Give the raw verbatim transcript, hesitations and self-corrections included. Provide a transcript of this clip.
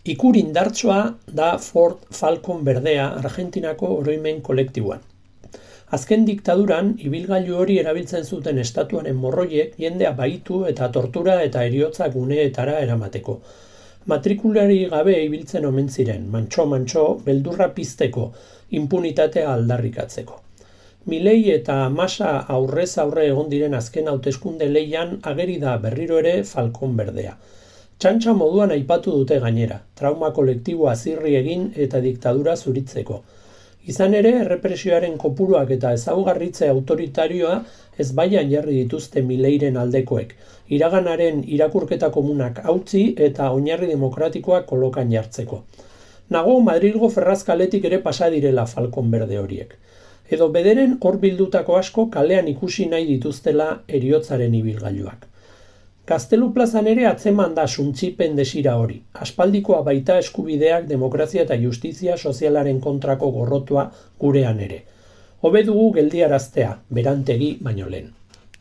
Ikur indartsoa da Ford Falcon berdea Argentinako oroimen kolektiboan. Azken diktaduran, ibilgailu hori erabiltzen zuten estatuaren morroiek jendea bahitu eta tortura eta heriotza guneetara eramateko. Matrikulari gabe ibiltzen omen ziren, mantxo-mantxo, beldurra pizteko, impunitatea aldarrikatzeko. Milei eta Massa aurrez aurre egon diren azken hauteskunde lehian ageri da berriro ere Falcon berdea. Txantxa moduan aipatu dute gainera, trauma kolektiboa zirri egin eta diktadura zuritzeko. Izan ere, errepresioaren kopuruak eta ezaugarritze autoritarioa ezbaian jarri dituzte Mileiren aldekoek, iraganaren irakurketa komunak hautsi eta oinarri demokratikoak kolokan jartzeko. Nago Madrilgo ferrazkaletik ere pasa direla Falcon berde horiek. Edo bederen hor bildutako asko kalean ikusi nahi dituztela heriotzaren ibilgailuak. Gaztelu plazan ere atzeman da suntsipen desira hori. Aspaldikoa baita eskubideak, demokrazia eta justizia sozialaren kontrako gorrotua gurean ere. Hobe dugu geldiaraztea, berantegi baino lehen.